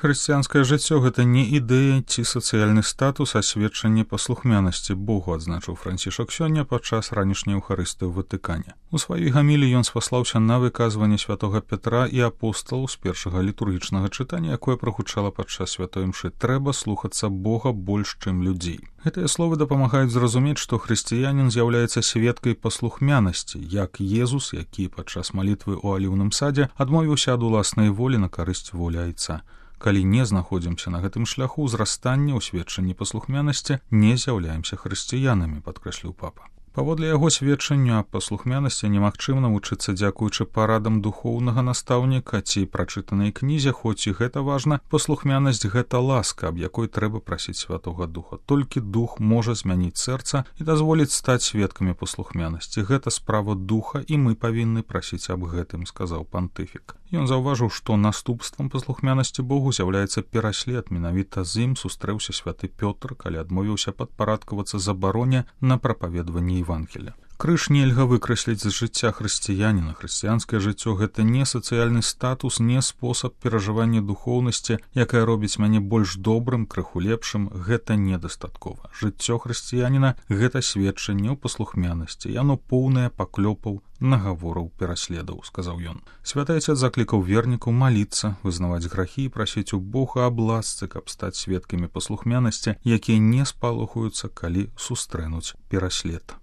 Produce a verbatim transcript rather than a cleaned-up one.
Хрысціянскае жыццё — гэта не ідэя ці сацыяльны статус, а сведчанне паслухмянасці Богу, адзначыў Францішак сёння падчас ранішняй эўхарыстыі ў Ватыкане. У сваёй гаміліі ён спаслаўся на выказванне святога Пятра і апосталаў з першага літургічнага чытання, якое прагучала падчас святой імшы. Трэба слухацца Бога больш, чым людзей. Гэтыя словы дапамагаюць зразумець, што хрысціянін з'яўляецца сведкай паслухмянасці, як Езус, які падчас малітвы ў аліўным садзе адмовіўся ад уласнай волі на карысць волі Айца. Калі не знаходзімся на гэтым шляху ўзрастання ў сведчанні паслухмянасці, не з'яўляемся хрысціянамі, падкрэсліў папа. Паводле яго сведчанню аб паслухмянасці немагчыма навучыцца дзякуючы парадам духоўнага настаўніка ці прачытанай кнізе, хоць і гэта важна. Паслухмянасць — гэта ласка, аб якой трэба прасіць Святога Духа. Толькі Дух можа змяніць сэрца і дазволіць стаць сведкамі паслухмянасці. Гэта справа Духа, і мы павінны прасіць аб гэтым, сказаў пантыфік. Ён заўважыў, што наступствам паслухмянасці Богу з'яўляецца пераслед. Менавіта з ім сустрэўся святы Пётр, калі адмовіўся падпарадкавацца забароне на прапаведванне Евангелія. Крыж нельга выкрасліць з жыцця хрысціяніна. Хрысціянскае жыццё — гэта не сацыяльны статус, не спосаб перажывання духоўнасці, якая робіць мяне больш добрым, крыху лепшым. Гэта недастаткова. Жыццё хрысціяніна — гэта сведчанне ў паслухмянасці. Яно поўнае паклёпаў, нагавораў, пераследаў, сказаў ён. Святы Айцец заклікаў вернікаў маліцца, вызнаваць грахі і прасіць у Бога аб ласцы, каб стаць сведкамі паслухмянасці, якія не спалохаюцца, калі сустрэнуць пераслед.